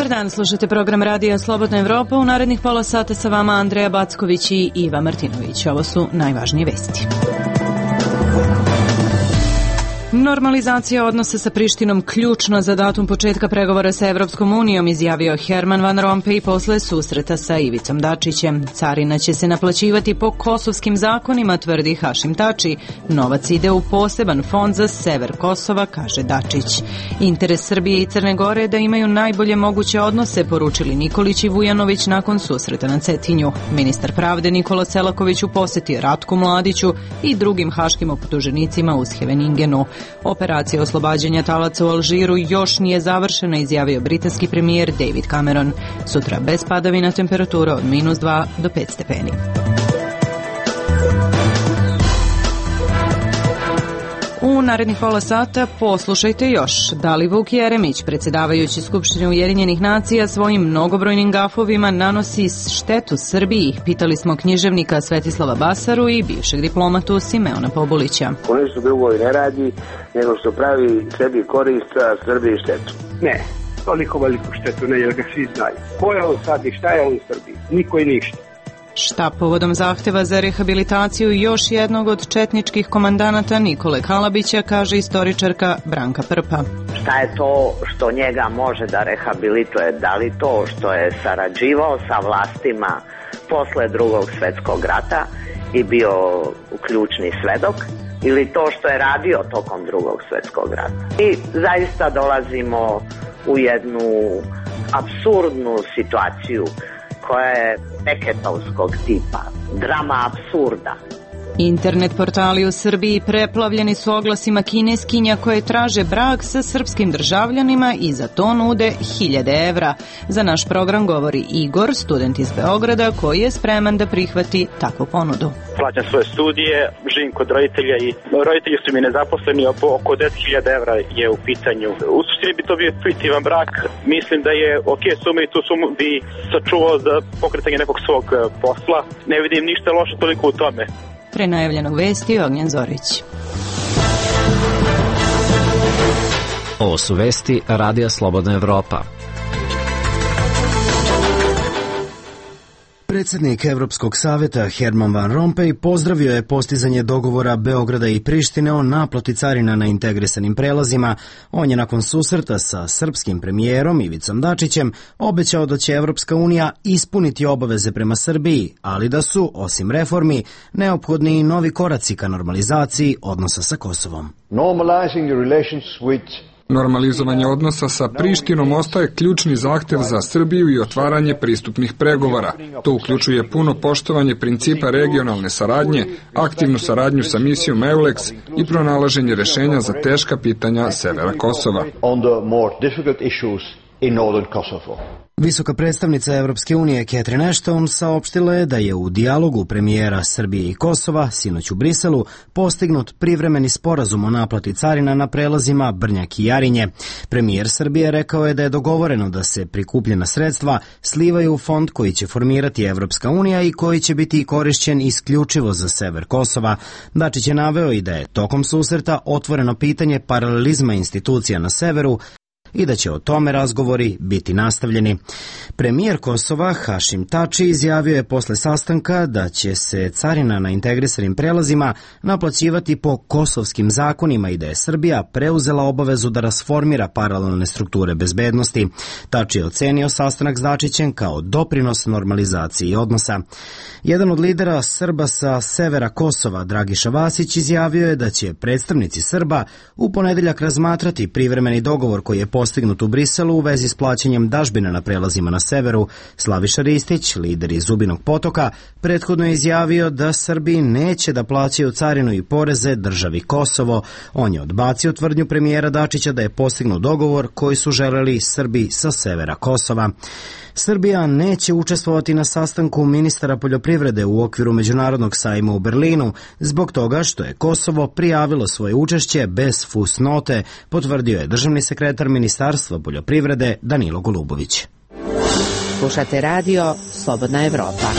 Dobar dan, slušate program radija Slobodna Evropa. U narednih pola sata sa vama Andreja Backović i Iva Martinović. Ovo su najvažnije vesti. Normalizacija odnosa sa Prištinom ključno za datum početka pregovora sa Evropskom unijom, izjavio Herman Van Rompuy posle susreta sa Ivicom Dačićem. Carina će se naplaćivati po kosovskim zakonima, tvrdi Hašim Tači. Novac ide u poseban fond za sever Kosova, kaže Dačić. Interes Srbije i Crne Gore je da imaju najbolje moguće odnose, poručili Nikolić i Vujanović nakon susreta na Cetinju. Ministar pravde Nikola Selaković u poseti Ratku Mladiću i drugim haškim optuženicima u Scheveningenu. Operacija oslobađanja talaca u Alžiru još nije završena, izjavio britanski premijer David Cameron. Sutra bez padavina, temperatura od -2 do 5 stepeni. U narednih pola sata poslušajte još. Da li Vuk Jeremić, predsjedavajući Skupštine Ujedinjenih nacija, svojim mnogobrojnim gafovima nanosi štetu Srbiji? Pitali smo književnika Svetislava Basaru i bivšeg diplomatu Simeona Pobulića. On ništa drugo i ne radi, nego što pravi sebi korist, a Srbiji štetu. Ne, toliko veliku štetu ne, jer ga svi znaju. Ko je on sad i šta je on u Srbiji? Niko i ništa. Šta povodom zahteva za rehabilitaciju još jednog od četničkih komandanata Nikole Kalabića, kaže istoričarka Branka Prpa. Šta je to što njega može da rehabilituje? Da li to što je sarađivao sa vlastima posle Drugog svjetskog rata i bio ključni svedok, ili to što je radio tokom Drugog svjetskog rata? I zaista dolazimo u jednu apsurdnu situaciju koja je Beketovskog tipa, drama apsurda. Internet portali u Srbiji preplavljeni su oglasima kineskinja koje traže brak sa srpskim državljanima i za to nude 1000 evra. Za naš program govori Igor, student iz Beograda, koji je spreman da prihvati takvu ponudu. Plaćam svoje studije, živim kod roditelja i roditelji su mi nezaposleni, oko 10.000 evra je u pitanju. U suštini bi to bio fiktivan brak, mislim da je ok suma i tu sumu bi sačuvao za pokretanje nekog svog posla. Ne vidim ništa loše toliko u tome. Prenajavljeno vesti Ognjen Zorić. Ovo su vesti Radija Slobodna Evropa. Predsjednik Evropskog savjeta Herman Van Rompuy pozdravio je postizanje dogovora Beograda i Prištine o naplati carina na integrisanim prelazima. On je nakon susreta sa srpskim premijerom Ivicom Dačićem obećao da će Evropska unija ispuniti obaveze prema Srbiji, ali da su, osim reformi, neophodni i novi koraci ka normalizaciji odnosa sa Kosovom. Normalizovanje odnosa sa Prištinom ostaje ključni zahtev za Srbiju i otvaranje pristupnih pregovora. To uključuje puno poštovanje principa regionalne saradnje, aktivnu saradnju sa misijom EULEX i pronalaženje rešenja za teška pitanja severa Kosova. Visoka predstavnica Evropske unije Catherine Ashton saopštila je da je u dijalogu premijera Srbije i Kosova sinoć u Briselu postignut privremeni sporazum o naplati carina na prelazima Brnjak i Jarinje. Premijer Srbije rekao je da je dogovoreno da se prikupljena sredstva slivaju u fond koji će formirati Evropska unija i koji će biti korišćen isključivo za sever Kosova. Dačić je naveo i da je tokom susreta otvoreno pitanje paralelizma institucija na severu i da će o tome razgovori biti nastavljeni. Premijer Kosova Hašim Tači izjavio je posle sastanka da će se carina na integrisanim prelazima naplaćivati po kosovskim zakonima i da je Srbija preuzela obavezu da rasformira paralelne strukture bezbednosti. Tači je ocenio sastanak s Dačićem kao doprinos normalizaciji odnosa. Jedan od lidera Srba sa severa Kosova, Dragiša Vasić, izjavio je da će predstavnici Srba u ponedeljak razmatrati privremeni dogovor koji je postignut u Briselu u vezi s plaćanjem dažbina na prelazima na severu. Slaviša Ristić, lider iz Zubinog Potoka, prethodno je izjavio da Srbi neće da plaćaju carinu i poreze državi Kosovo. On je odbacio tvrdnju premijera Dačića da je postignut dogovor koji su želeli Srbi sa severa Kosova. Srbija neće učestvovati na sastanku ministara poljoprivrede u okviru Međunarodnog sajma u Berlinu zbog toga što je Kosovo prijavilo svoje učešće bez fusnote, potvrdio je državni sekretar Ministarstva poljoprivrede Danilo Golubović. Slušate radio Slobodna Evropa.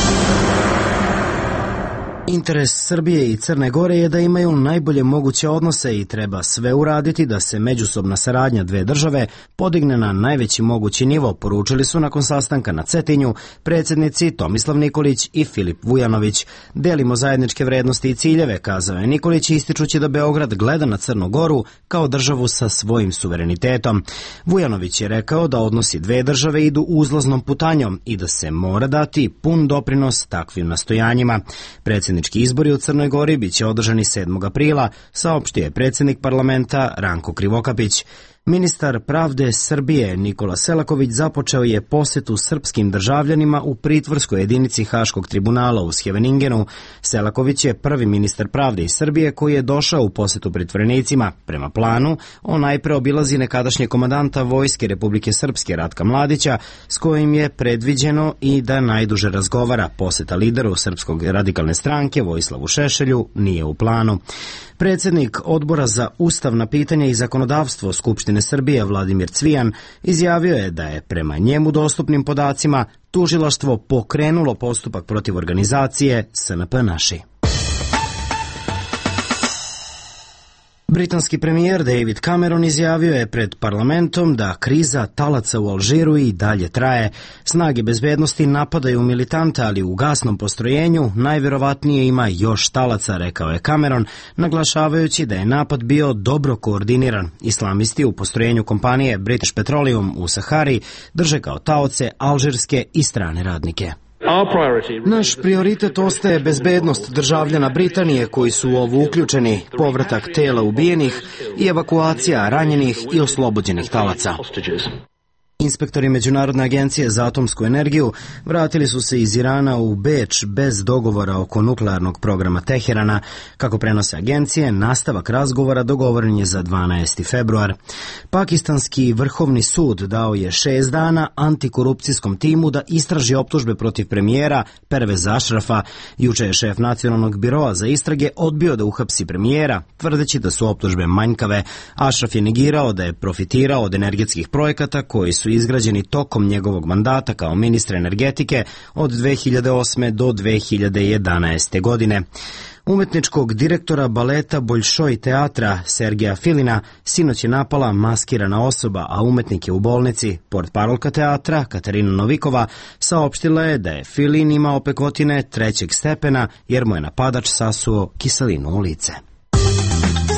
Interes Srbije i Crne Gore je da imaju najbolje moguće odnose i treba sve uraditi da se međusobna saradnja dve države podigne na najveći mogući nivo, poručili su nakon sastanka na Cetinju predsjednici Tomislav Nikolić i Filip Vujanović. Delimo zajedničke vrednosti i ciljeve, kazao je Nikolić, ističući da Beograd gleda na Crnu Goru kao državu sa svojim suverenitetom. Vujanović je rekao da odnosi dve države idu uzlaznom putanjom i da se mora dati pun doprinos takvim nastojanjima. Predsjednički izbori u Crnoj Gori biće održani 7. aprila, saopštio je predsjednik parlamenta Ranko Krivokapić. Ministar pravde Srbije Nikola Selaković započeo je posetu srpskim državljanima u pritvorskoj jedinici Haškog tribunala u Scheveningenu. Selaković je prvi ministar pravde iz Srbije koji je došao u posetu pritvorenicima. Prema planu, on najpre obilazi nekadašnje komandanta Vojske Republike Srpske Ratka Mladića, s kojim je predviđeno i da najduže razgovara. Poseta lideru Srpskog radikalne stranke Vojislavu Šešelju nije u planu. Predsjednik Odbora za ustavna pitanja i zakonodavstvo Skupštine Srbije Vladimir Cvijan izjavio je da je prema njemu dostupnim podacima tužilaštvo pokrenulo postupak protiv organizacije SNP Naši. Britanski premijer David Cameron izjavio je pred parlamentom da kriza talaca u Alžiru i dalje traje. Snage bezbednosti napadaju militante, ali u gasnom postrojenju najvjerovatnije ima još talaca, rekao je Cameron, naglašavajući da je napad bio dobro koordiniran. Islamisti u postrojenju kompanije British Petroleum u Sahari drže kao taoce alžirske i strane radnike. Naš prioritet ostaje bezbednost državljana Britanije koji su u ovo uključeni, povratak tela ubijenih i evakuacija ranjenih i oslobođenih talaca. Inspektori Međunarodne agencije za atomsku energiju vratili su se iz Irana u Beč bez dogovora oko nuklearnog programa Teherana. Kako prenose agencije, nastavak razgovora dogovoren je za 12. februar. Pakistanski vrhovni sud dao je 6 dana antikorupcijskom timu da istraži optužbe protiv premijera Perveza Ašrafa. Juče je šef Nacionalnog biroa za istrage odbio da uhapsi premijera, tvrdeći da su optužbe manjkave. Ašraf je negirao da je profitirao od energetskih projekata koji su izgrađeni tokom njegovog mandata kao ministra energetike od 2008. do 2011. godine. Umetničkog direktora baleta Boljšoj teatra Sergeja Filina sinoć je napala maskirana osoba, a umetnik je u bolnici. Portparolka teatra Katarina Novikova saopštila je da je Filin imao pekotine 3. stepena jer mu je napadač sasuo kiselinu u lice.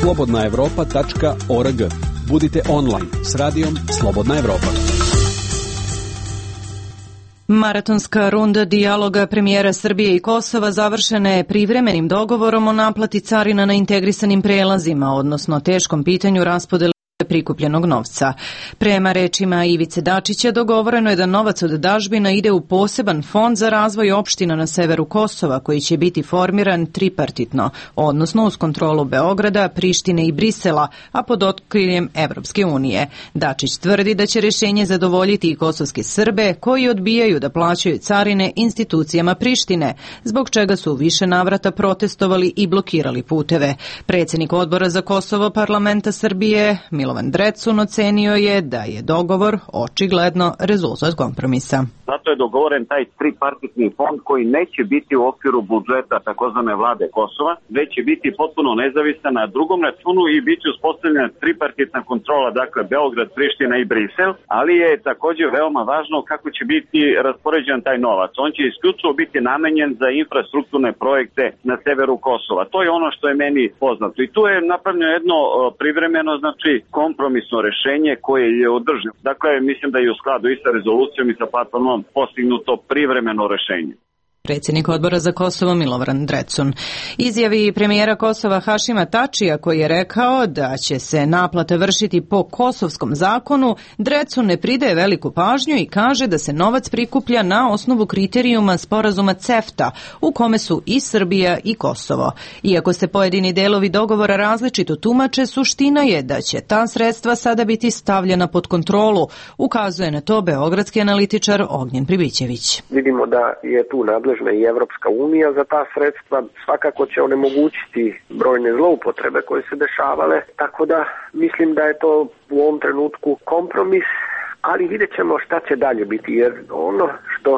slobodnaevropa.org. Budite online s radijom Slobodna Evropa. Maratonska runda dijaloga premijera Srbije i Kosova završena je privremenim dogovorom o naplati carina na integrisanim prelazima, odnosno teškom pitanju raspodele prikupljenog novca. Prema rečima Ivice Dačića, dogovoreno je da novac od dažbina ide u poseban fond za razvoj opština na severu Kosova, koji će biti formiran tripartitno, odnosno uz kontrolu Beograda, Prištine i Brisela, a pod okriljem Evropske unije. Dačić tvrdi da će rješenje zadovoljiti i kosovske Srbe koji odbijaju da plaćaju carine institucijama Prištine, zbog čega su u više navrata protestovali i blokirali puteve. Predsjednik Odbora za Kosovo parlamenta Srbije Milovan Drecun ocenio je da je dogovor očigledno rezultat kompromisa. Zato je dogovoren taj tripartitni fond koji neće biti u okviru budžeta takozvane vlade Kosova, već će biti potpuno nezavisan na drugom računu i bit će uspostavljena tripartitna kontrola, dakle Beograd, Priština i Brisel, ali je također veoma važno kako će biti raspoređen taj novac. On će isključivo biti namenjen za infrastrukturne projekte na severu Kosova. To je ono što je meni poznato. I tu je napravljeno jedno privremeno, znači kompromisno rešenje koje je održivo. Dakle, mislim da je u skladu i sa rezolucijom i sa platformom postignuto privremeno rešenje. Predsjednik Odbora za Kosovo Milovan Drecun. Izjavi premijera Kosova Hašima Tačija, koji je rekao da će se naplata vršiti po kosovskom zakonu, Drecun ne pridaje veliku pažnju i kaže da se novac prikuplja na osnovu kriterijuma sporazuma CEFTA, u kome su i Srbija i Kosovo. Iako se pojedini delovi dogovora različito tumače, suština je da će ta sredstva sada biti stavljena pod kontrolu, ukazuje na to beogradski analitičar Ognjen Pribićević. Vidimo da je tu nadležna i Evropska unija za ta sredstva, svakako će onemogućiti brojne zloupotrebe koje se dešavale, tako da mislim da je to u ovom trenutku kompromis, ali vidjet ćemo šta će dalje biti, jer ono što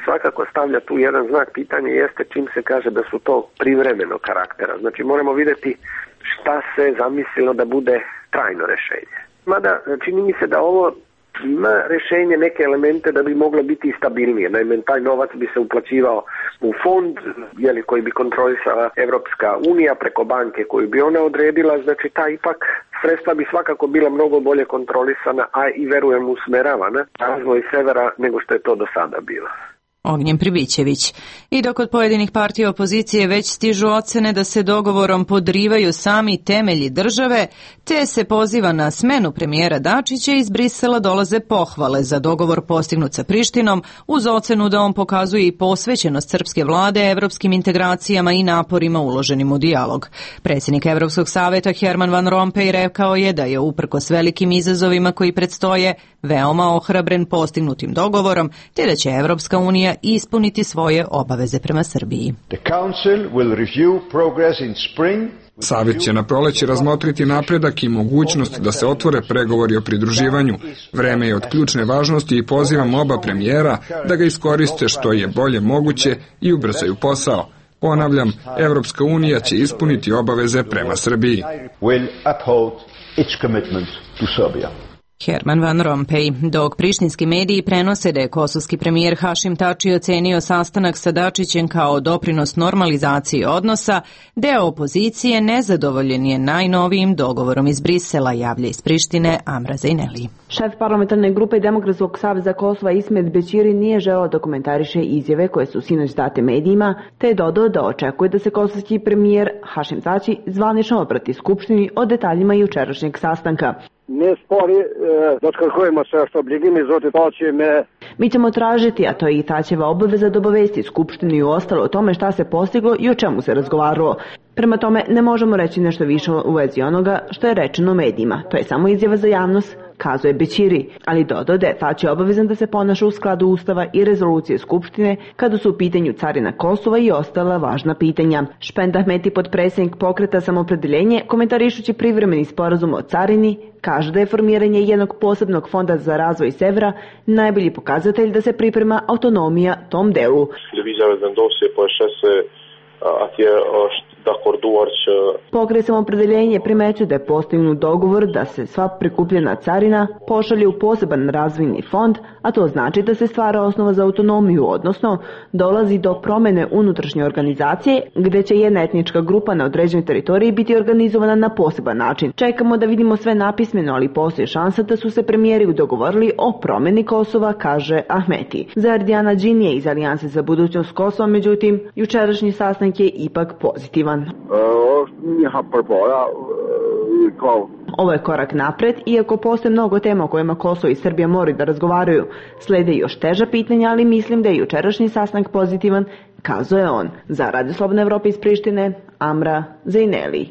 svakako stavlja tu jedan znak pitanja jeste čim se kaže da su to privremenog karaktera. Znači moramo vidjeti šta se zamislilo da bude trajno rješenje. Mada čini mi se da ovo ima rješenje, neke elemente da bi moglo biti stabilnije. Naime, taj novac bi se uplaćivao u fond koji bi kontrolisala Evropska unija preko banke koju bi ona odredila. Znači ta ipak sredstva bi svakako bila mnogo bolje kontrolisana, a i verujem usmeravana razvoj severa nego što je to do sada bilo. Ognjen Pribićević. I dok od pojedinih partija opozicije već stižu ocene da se dogovorom podrivaju sami temelji države, te se poziva na smenu premijera Dačića, iz Brisela dolaze pohvale za dogovor postignut sa Prištinom, uz ocenu da on pokazuje i posvećenost srpske vlade evropskim integracijama i naporima uloženim u dijalog. Predsjednik Evropskog saveta Herman Van Rompuy rekao je da je uprkos velikim izazovima koji predstoje veoma ohrabren postignutim dogovorom, te da će Evropska unija ispuniti svoje obaveze prema Srbiji. Savjet će na proleće razmotriti napredak i mogućnost da se otvore pregovori o pridruživanju. Vreme je od ključne važnosti i pozivam oba premijera da ga iskoriste što je bolje moguće i ubrzaju posao. Ponavljam, Evropska unija će ispuniti obaveze prema Srbiji. Herman Van Rompuy. Dok prištinski mediji prenose da je kosovski premijer Hašim Tači ocenio sastanak sa Dačićem kao doprinos normalizaciji odnosa, deo opozicije nezadovoljen je najnovijim dogovorom iz Brisela, javlja iz Prištine Amra Zejneli. Šef parlamentarne grupe Demokratskog saveza Kosova Ismet Bećiri nije želeo da komentariše izjave koje su sinoć date medijima, te je dodao da očekuje da se kosovski premijer Hašim Tači zvanično obrati Skupštini o detaljima jučerašnjeg sastanka. Mi ćemo tražiti, a to je i Tačeva obaveza, da obavesti Skupštinu i ostalo o tome šta se postiglo i o čemu se razgovaralo. Prema tome, ne možemo reći nešto više u vezi onoga što je rečeno medijima. To je samo izjava za javnost, kazuje Bećiri, ali dodao da je Tači obavezan da se ponaša u skladu Ustava i rezolucije Skupštine kada su u pitanju carina Kosova i ostala važna pitanja. Špend Ahmeti, potpredsjednik pokreta Samoopredjeljenje, komentarišući privremeni sporazum o carini, kaže da je formiranje jednog posebnog fonda za razvoj severa najbolji pokazatelj da se priprema autonomija tom delu. Pokret Samoopredjeljenje primećuje da je postignut dogovor da se sva prikupljena carina pošalje u poseban razvojni fond, a to znači da se stvara osnova za autonomiju, odnosno dolazi do promjene unutrašnje organizacije gdje će jedna etnička grupa na određenoj teritoriji biti organizovana na poseban način. Čekamo da vidimo sve napismeno, ali postoji šansa da su se premijeri dogovorili o promjeni Kosova, kaže Ahmeti. Za Erdijana Džinije iz Alijanse za budućnost Kosova, međutim, jučerašnji sastanak je ipak pozitivan. Ovo je korak napred, iako postoje mnogo tema o kojima Kosovo i Srbija moraju da razgovaraju. Slede još teža pitanja, ali mislim da je jučerašnji sastanak pozitivan, kazuje on. Za Radio Slobodna Evropa iz Prištine, Amra Zejneli.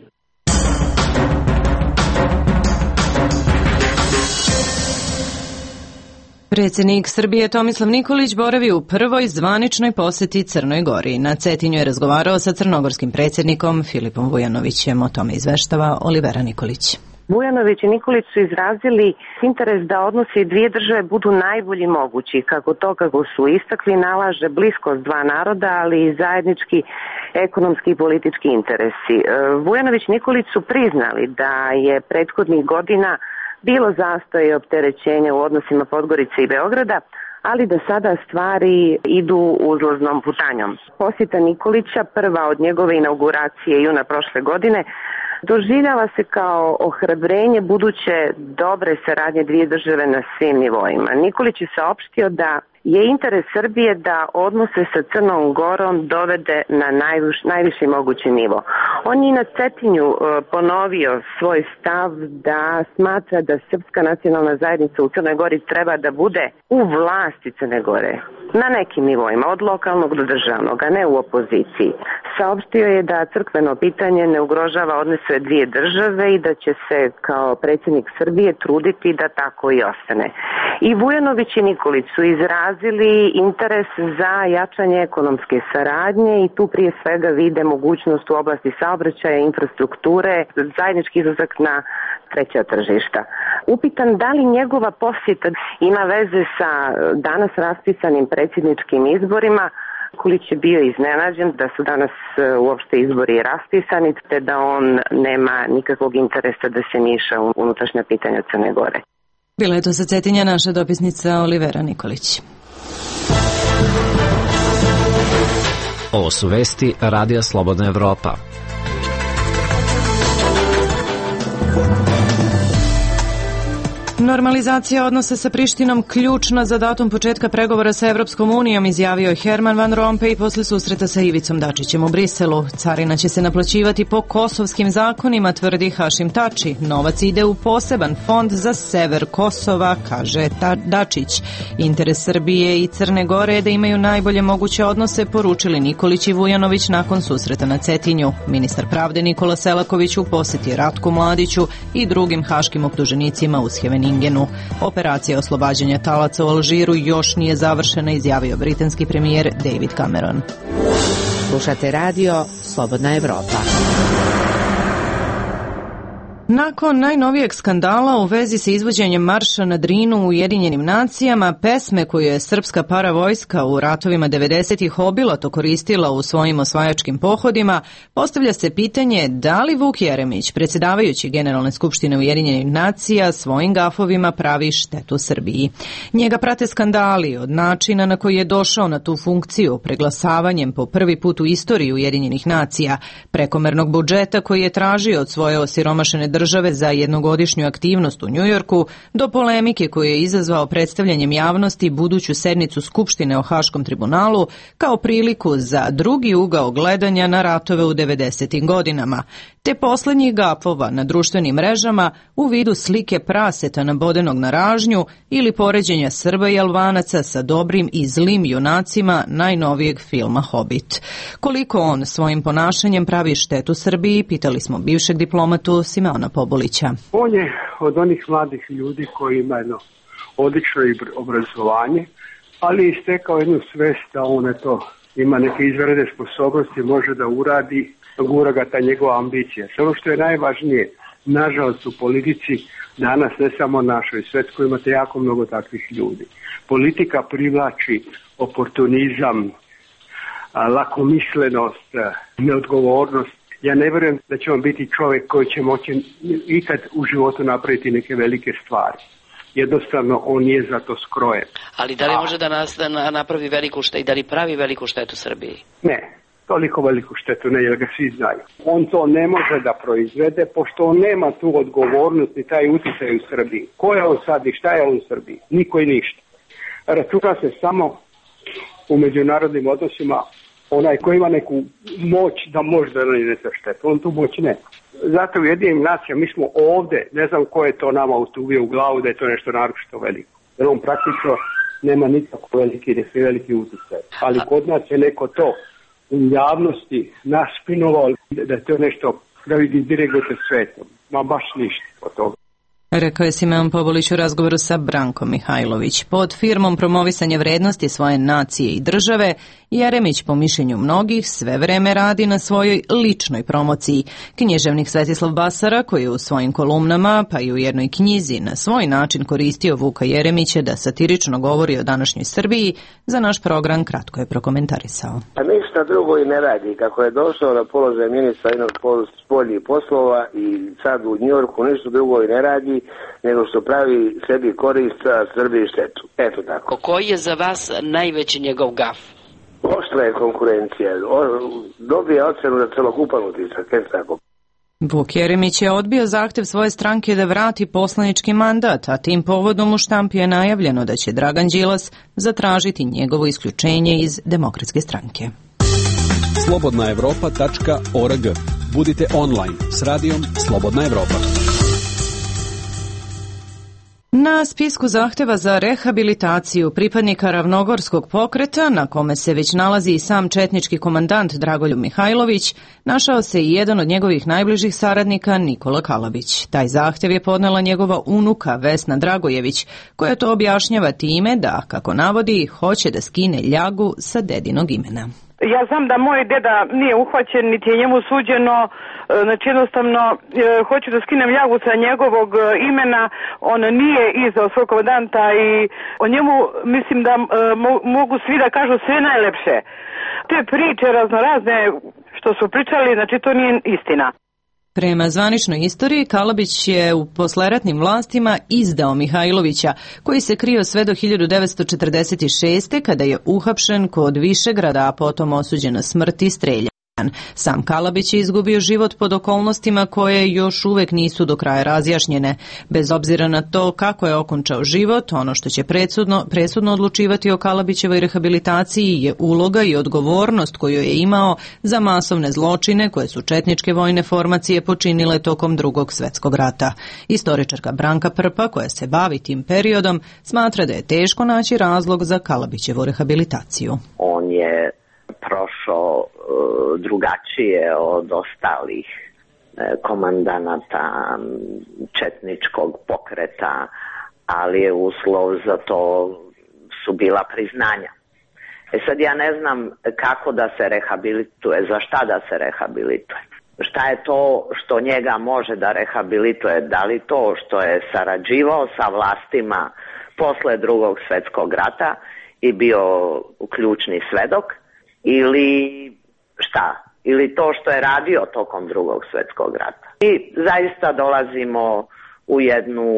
Predsjednik Srbije Tomislav Nikolić boravi u prvoj zvaničnoj posjeti Crnoj Gori. Na Cetinju je razgovarao sa crnogorskim predsjednikom Filipom Vujanovićem. O tome izveštava Olivera Nikolić. Vujanović i Nikolić su izrazili interes da odnosi dvije države budu najbolji mogući. Kako su istakli, nalaže bliskost dva naroda, ali i zajednički ekonomski i politički interesi. Vujanović i Nikolić su priznali da je prethodnih godina bilo zastoje i opterećenja u odnosima Podgorice i Beograda, ali da sada stvari idu uzlaznom putanjom. Posjeta Nikolića, prva od njegove inauguracije juna prošle godine, doživljava se kao ohrabrenje buduće dobre saradnje dvije države na svim nivoima. Nikolić je saopštio da je interes Srbije da odnose sa Crnom Gorom dovede na najviši mogući nivo. On je na Cetinju ponovio svoj stav da smatra da srpska nacionalna zajednica u Crnoj Gori treba da bude u vlasti Crne Gore, na nekim nivoima, od lokalnog do državnog, a ne u opoziciji. Saopštio je da crkveno pitanje ne ugrožava odnose dvije države i da će se kao predsjednik Srbije truditi da tako i ostane. I Vujanović i Nikolić su izrazili izrazili interes za jačanje ekonomske saradnje i tu prije svega vide mogućnost u oblasti saobraćaja, infrastrukture, zajednički izlazak na treća tržišta. Upitan da li njegova posjeta ima veze sa danas raspisanim predsjedničkim izborima, Kulić je bio iznenađen da su danas uopšte izbori raspisani, te da on nema nikakvog interesa da se miša u unutrašnja pitanja Crne Gore. Bila je to sa Cetinja naša dopisnica Olivera Nikolić. Ovo su vesti Radija Slobodna Evropa. Normalizacija odnosa sa Prištinom ključna za datum početka pregovora sa Evropskom unijom, izjavio je Herman Van Rompuy posle susreta sa Ivicom Dačićem u Briselu. Carina će se naplaćivati po kosovskim zakonima, tvrdi Hašim Tači. Novac ide u poseban fond za sever Kosova, kaže Dačić. Interes Srbije i Crne Gore je da imaju najbolje moguće odnose, poručili Nikolić i Vujanović nakon susreta na Cetinju. Ministar pravde Nikola Selaković u posjeti Ratku Mladiću i drugim haškim optuženicima u Scheveningenu. Operacija oslobađanja talaca u Alžiru još nije završena, izjavio britanski premijer David Cameron. Slušate radio Slobodna Evropa. Nakon najnovijeg skandala u vezi sa izvođenjem marša na Drinu u Ujedinjenim nacijama, pesme koju je srpska paravojska u ratovima 90-ih obilato koristila u svojim osvajačkim pohodima, postavlja se pitanje da li Vuk Jeremić, predsjedavajući Generalne skupštine Ujedinjenih nacija, svojim gafovima pravi štetu Srbiji. Njega prate skandali od načina na koji je došao na tu funkciju, preglasavanjem po prvi put u istoriji Ujedinjenih nacija, prekomernog budžeta koji je tražio od svoje osiromašene države za jednogodišnju aktivnost u Njujorku, do polemike koju je izazvao predstavljanjem javnosti buduću sednicu Skupštine o Haškom tribunalu kao priliku za drugi ugao gledanja na ratove u 90. godinama, te poslednjih gafova na društvenim mrežama u vidu slike praseta nabodenog na ražnju ili poređenja Srba i Albanaca sa dobrim i zlim junacima najnovijeg filma Hobbit. Koliko on svojim ponašanjem pravi štetu Srbiji, pitali smo bivšeg diplomatu Simeona Pobulića. On je od onih mladih ljudi koji ima jedno odlično obrazovanje, ali je stekao jednu svest da on ima neke izvanredne sposobnosti, može da uradi, gura ga ta njegova ambicija. Samo što je najvažnije, nažalost u politici danas, ne samo našoj, svetskoj, imate jako mnogo takvih ljudi. Politika privlači oportunizam, lakomislenost, neodgovornost. Ja ne vjerujem da će on biti čovjek koji će moći ikad u životu napraviti neke velike stvari. Jednostavno, on nije za to skrojen. Ali da li može da napravi veliku štetu i da li pravi veliku štetu Srbiji? Ne, toliko veliku štetu ne, jer ga svi znaju. On to ne može da proizvede, pošto on nema tu odgovornost ni taj utjecaj u Srbiji. Ko je on sad i šta je on u Srbiji? Niko i ništa. Računa se samo u međunarodnim odnosima onaj koji ima neku moć da može da nanese štetu. On tu moć ne. Zato u Ujedinjenim nacijama mi smo ovde, ne znam ko je to nama utuvio u glavu da je to nešto naročito veliko. Jer on praktično nema nikako veliki utjecaj. Ali kod nas je neko to u javnosti naspinovao da je to nešto da vidi direktno svetom. Ma baš ništa od toga. Rekao je Simeon Pobulić u razgovoru sa Brankom Mihajlović. Pod firmom promovisanja vrednosti svoje nacije i države, Jeremić, po mišljenju mnogih, sve vreme radi na svojoj ličnoj promociji. Književnik Svetislav Basara, koji je u svojim kolumnama, pa i u jednoj knjizi, na svoj način koristio Vuka Jeremića da satirično govori o današnjoj Srbiji, za naš program kratko je prokomentarisao. A ništa drugo i ne radi. Kako je došao na položaj ministra jednog spoljnih poslova i sad u Njujorku ništa drugo i ne radi, nego što pravi sebi korist, a Srbiji štetu. Eto tako. Koji je za vas najveći njegov gaf? Oštra je konkurencija. Dobije ocenu za celokupan utisak. Eto tako. Vuk Jeremić je odbio zahtev svoje stranke da vrati poslanički mandat, a tim povodom u štampi je najavljeno da će Dragan Đilas zatražiti njegovo isključenje iz Demokratske stranke. slobodnaevropa.org. Budite online s radijom Slobodna Evropa. Na spisku zahteva za rehabilitaciju pripadnika Ravnogorskog pokreta, na kome se već nalazi i sam četnički komandant Dragoljub Mihajlović, našao se i jedan od njegovih najbližih saradnika Nikola Kalabić. Taj zahtev je podnela njegova unuka Vesna Dragojević, koja to objašnjava time da, kako navodi, hoće da skine ljagu sa dedinog imena. Ja znam da moj deda nije uhvaćen, niti je njemu suđeno, znači jednostavno hoću da skinem ljagu sa njegovog imena, on nije izdao svog komandanta i o njemu mislim da mogu svi da kažu sve najlepše. Te priče raznorazne što su pričali, znači to nije istina. Prema zvaničnoj istoriji, Kalabić je u posleratnim vlastima izdao Mihajlovića, koji se krio sve do 1946. kada je uhapšen kod Višegrada, a potom osuđen na smrt i streljan. Sam Kalabić je izgubio život pod okolnostima koje još uvek nisu do kraja razjašnjene. Bez obzira na to kako je okončao život, ono što će presudno odlučivati o Kalabićevoj rehabilitaciji je uloga i odgovornost koju je imao za masovne zločine koje su četničke vojne formacije počinile tokom Drugog svjetskog rata. Istoričarka Branka Prpa, koja se bavi tim periodom, smatra da je teško naći razlog za Kalabićevu rehabilitaciju. On je prošao drugačije od ostalih komandanata četničkog pokreta, ali je uslov za to su bila priznanja. Sad ja ne znam kako da se rehabilituje, za šta da se rehabilituje. Šta je to što njega može da rehabilituje? Da li to što je sarađivao sa vlastima posle Drugog svjetskog rata i bio ključni svedok, ili šta? Ili to što je radio tokom Drugog svjetskog rata. I zaista dolazimo u jednu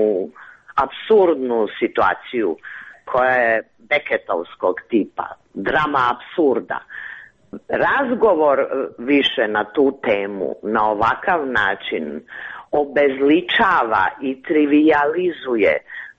apsurdnu situaciju koja je Beketovskog tipa, drama apsurda. Razgovor više na tu temu na ovakav način obezličava i trivializuje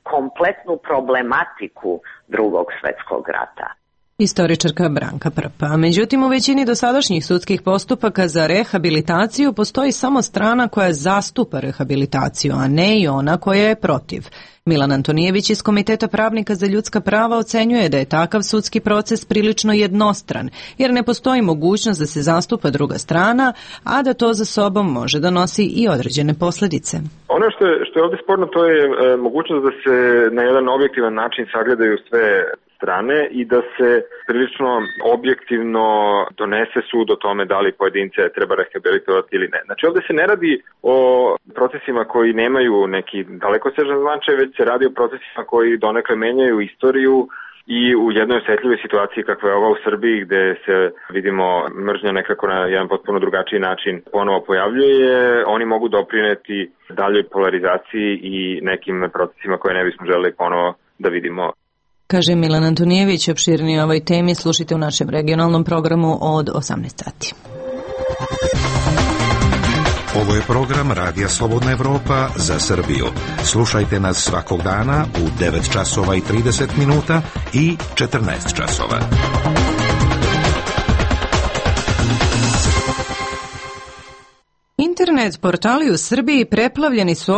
kompletnu problematiku Drugog svjetskog rata. Istoričarka Branka Prpa. Međutim, u većini dosadašnjih sudskih postupaka za rehabilitaciju postoji samo strana koja zastupa rehabilitaciju, a ne i ona koja je protiv. Milan Antonijević iz Komiteta pravnika za ljudska prava ocenjuje da je takav sudski proces prilično jednostran, jer ne postoji mogućnost da se zastupa druga strana, a da to za sobom može da nosi i određene posljedice. Ono što je ovdje sporno, to je mogućnost da se na jedan objektivan način sagledaju sve strane i da se prilično objektivno donese sud o tome da li pojedince treba rehabilitovati ili ne. Znači ovdje se ne radi o procesima koji nemaju neki dalekosežan značaj, već se radi o procesima koji donekle menjaju istoriju i u jednoj osjetljivoj situaciji kakva je ova u Srbiji, gde se vidimo mržnja nekako na jedan potpuno drugačiji način ponovo pojavljuje, oni mogu doprineti daljoj polarizaciji i nekim procesima koje ne bismo želeli ponovo da vidimo. Kaže Milan Antonijević. Opširnije o ovoj temi slušajte u našem regionalnom programu od 18 sati. Ovo je program Radija Slobodna Evropa za Srbiju. Slušajte nas svakog dana u 9 časova i 30 minuta i 14 časova. Internet portali u Srbiji preplavljeni su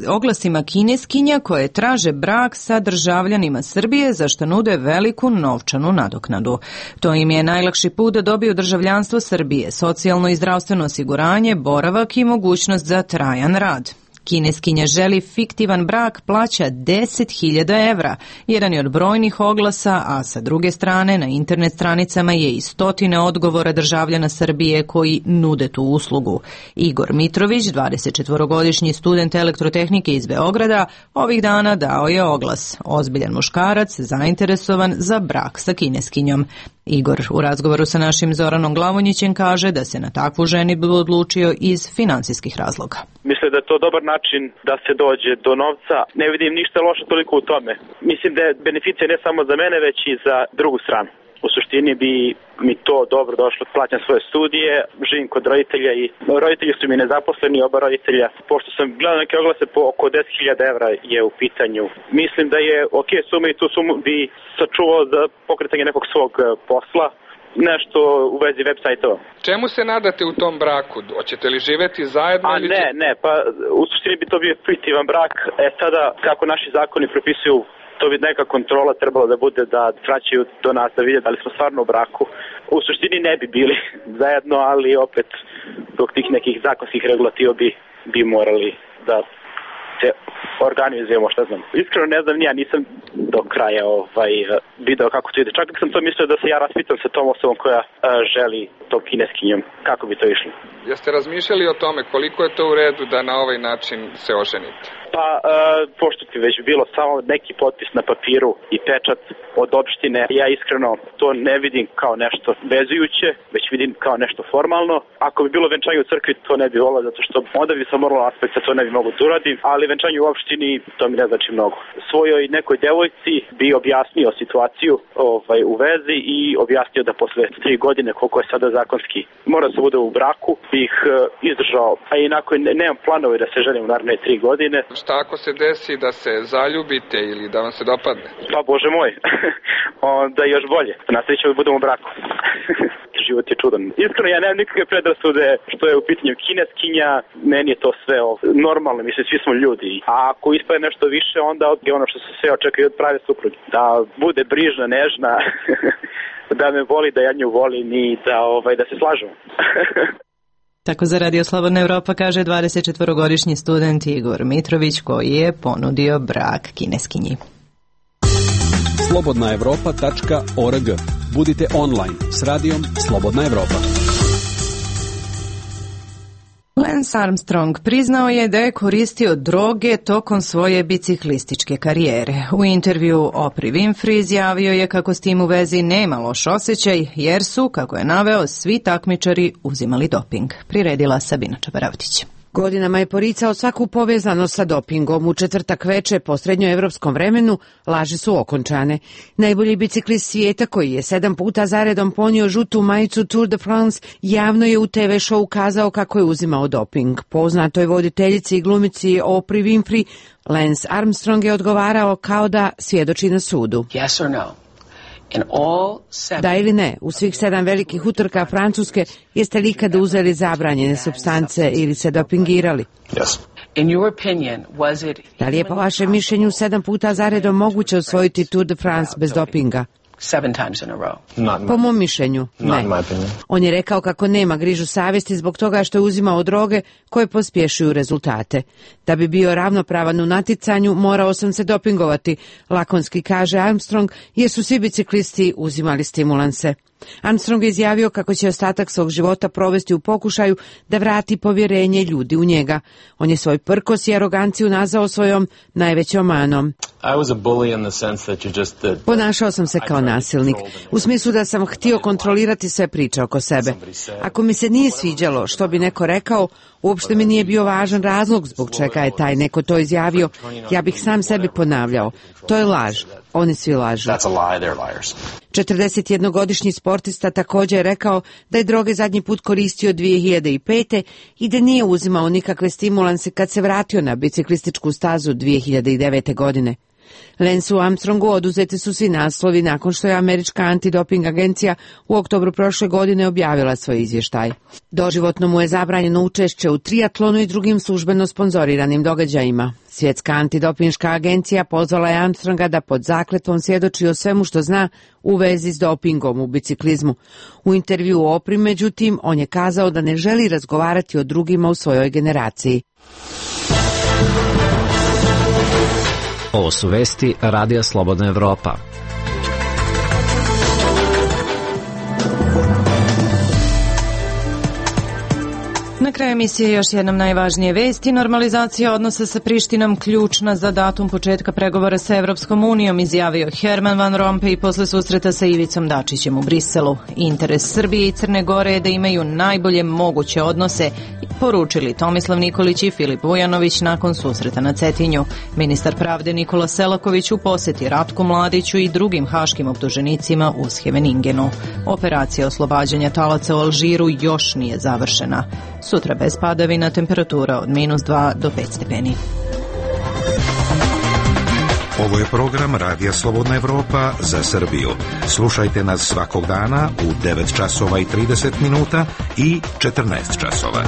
oglasima kineskinja koje traže brak sa državljanima Srbije, za što nude veliku novčanu nadoknadu. To im je najlakši put da dobiju državljanstvo Srbije, socijalno i zdravstveno osiguranje, boravak i mogućnost za trajan rad. Kineskinja želi fiktivan brak, plaća 10.000 evra. Jedan je od brojnih oglasa, a sa druge strane na internet stranicama je i stotine odgovora državljana Srbije koji nude tu uslugu. Igor Mitrović, 24-godišnji student elektrotehnike iz Beograda, ovih dana dao je oglas. Ozbiljan muškarac, zainteresovan za brak sa kineskinjom. Igor u razgovoru sa našim Zoranom Glavonjićem kaže da se na takvu ženidbu odlučio iz finansijskih razloga. Mislim da je to dobar način da se dođe do novca. Ne vidim ništa loše toliko u tome. Mislim da je beneficija ne samo za mene, već i za drugu stranu. U suštini bi mi to dobro došlo. Plaćam svoje studije, živim kod roditelja i roditelji su mi nezaposleni, oba roditelja. Pošto sam gledao neke oglase po oko 10.000 evra je u pitanju. Mislim da je ok suma i tu sumu bi sačuvao za pokretanje nekog svog posla nešto u vezi web sajtova. Čemu se nadate u tom braku? Hoćete li živeti zajedno? Ne, pa u suštini bi to bio fiktivan brak. Sada, kako naši zakoni propisuju, to bi neka kontrola trebala da bude da vraćaju do nas da vide da li smo stvarno u braku. U suštini ne bi bili zajedno, ali opet zbog tih nekih zakonskih regulativa bi morali da se organizujemo, šta znam. Iskreno ne znam, nisam do kraja video kako to ide. Čak sam to mislio da se ja raspitam sa tom osobom koja želi tom kineskinjom. Kako bi to išlo? Jeste razmišljali o tome koliko je to u redu da na ovaj način se oženite? Pa, pošto ti već bilo samo neki potpis na papiru i pečat od opštine, ja iskreno to ne vidim kao nešto vezujuće, već vidim kao nešto formalno. Ako bi bilo venčanje u crkvi, to ne bi volao, zato što onda bi sam moralo aspekta, to ne bi mogu da uradim, ali venčanje u opštini, to mi ne znači mnogo. Svojoj nekoj devojci bi objasnio situaciju u vezi i objasnio da posle 3 godine, koliko je sada zakonski, mora da se bude u braku, bih izdržao, a inako nemam planove da se ženim u naredne 3 godine. Šta ako se desi da se zaljubite ili da vam se dopadne? Pa Bože moj, onda još bolje. Nastavit ćemo da budemo u braku. Život je čudan. Iskreno, ja nemam nikakve predrasude što je u pitanju kineskinja. Meni je to sve normalno, mislim, svi smo ljudi. A ako ispade nešto više, onda je ono što se sve očekuje od prave supruge. Da bude brižna, nežna, da me voli, da ja nju volim i da se slažemo. Tako za Radio Slobodna Evropa kaže 24-godišnji student Igor Mitrović koji je ponudio brak kineskinji. slobodnaevropa.org. Budite online s radijom Slobodna Evropa. Lance Armstrong priznao je da je koristio droge tokom svoje biciklističke karijere. U intervju Oprah Winfrey izjavio je kako s tim u vezi nema loš osjećaj, jer su, kako je naveo, svi takmičari uzimali doping. Priredila Sabina Čabaravtić. Godinama je poricao svaku povezanost sa dopingom. U četvrtak veče po srednjoevropskom vremenu laži su okončane. Najbolji biciklist svijeta koji je 7 puta zaredom ponio žutu majicu Tour de France javno je u TV show kazao kako je uzimao doping. Poznatoj voditeljici i glumici Oprah Winfrey Lance Armstrong je odgovarao kao da svjedoči na sudu. Yes or no? Da ili ne, u svih 7 velikih utrka Francuske jeste li ikada uzeli zabranjene supstance ili se dopingirali? Yes. In your opinion, was it... Da li je po vašem mišljenju 7 puta zaredom moguće osvojiti Tour de France bez dopinga? 7 times in a row. Po mom mišljenju, ne. On je rekao kako nema grižu savjesti zbog toga što je uzimao droge koje pospješuju rezultate. Da bi bio ravnopravan u natjecanju, morao sam se dopingovati, lakonski kaže Armstrong, jer su svi biciklisti uzimali stimulanse. Armstrong je izjavio kako će ostatak svog života provesti u pokušaju da vrati povjerenje ljudi u njega. On je svoj prkos i aroganciju nazvao svojom najvećom manom. Ponašao sam se kao nasilnik, u smislu da sam htio kontrolirati sve priče oko sebe. Ako mi se nije sviđalo što bi neko rekao, uopšte mi nije bio važan razlog zbog čega je taj neko to izjavio. Ja bih sam sebi ponavljao. To je laž. Oni svi lažu. 41-godišnji sportista također je rekao da je droge zadnji put koristio 2005. i da nije uzimao nikakve stimulanse kad se vratio na biciklističku stazu 2009. godine. Lanceu Armstrongu oduzeti su svi naslovi nakon što je američka antidoping agencija u oktobru prošle godine objavila svoj izvještaj. Doživotno mu je zabranjeno učešće u triatlonu i drugim službeno sponzoriranim događajima. Svjetska antidopinška agencija pozvala je Armstronga da pod zakletvom svjedoči o svemu što zna u vezi s dopingom u biciklizmu. U intervju o Oprah, međutim, on je kazao da ne želi razgovarati o drugima u svojoj generaciji. Ovo su vesti Radija Slobodna Evropa. Na kraju emisije još jednom najvažnije vesti. Normalizacija odnosa sa Prištinom ključna za datum početka pregovora sa Evropskom unijom, izjavio Herman Van Rompuy posle susreta sa Ivicom Dačićem u Briselu. Interes Srbije i Crne Gore je da imaju najbolje moguće odnose, poručili Tomislav Nikolić i Filip Vujanović nakon susreta na Cetinju. Ministar pravde Nikola Selaković u posjeti Ratku Mladiću i drugim haškim optuženicima u Scheveningenu. Operacija oslobađanja talaca u Alžiru još nije završena. Sutra bez padavina, temperatura od -2 do 5 stepeni. Ovo je program Radija Slobodna Evropa za Srbiju. Slušajte nas svakog dana u 9 časova i 30 minuta i 14 časova.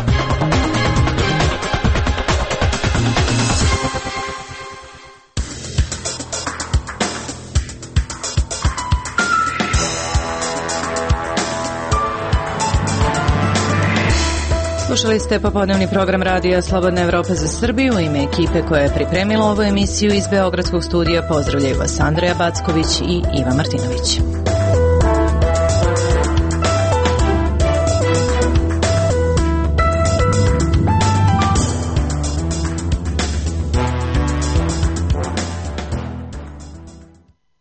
Slušali ste popodnevni program Radija Slobodna Evropa za Srbiju. U ime ekipe koja je pripremila ovu emisiju iz Beogradskog studija pozdravljaju vas Andreja Backović i Iva Martinović.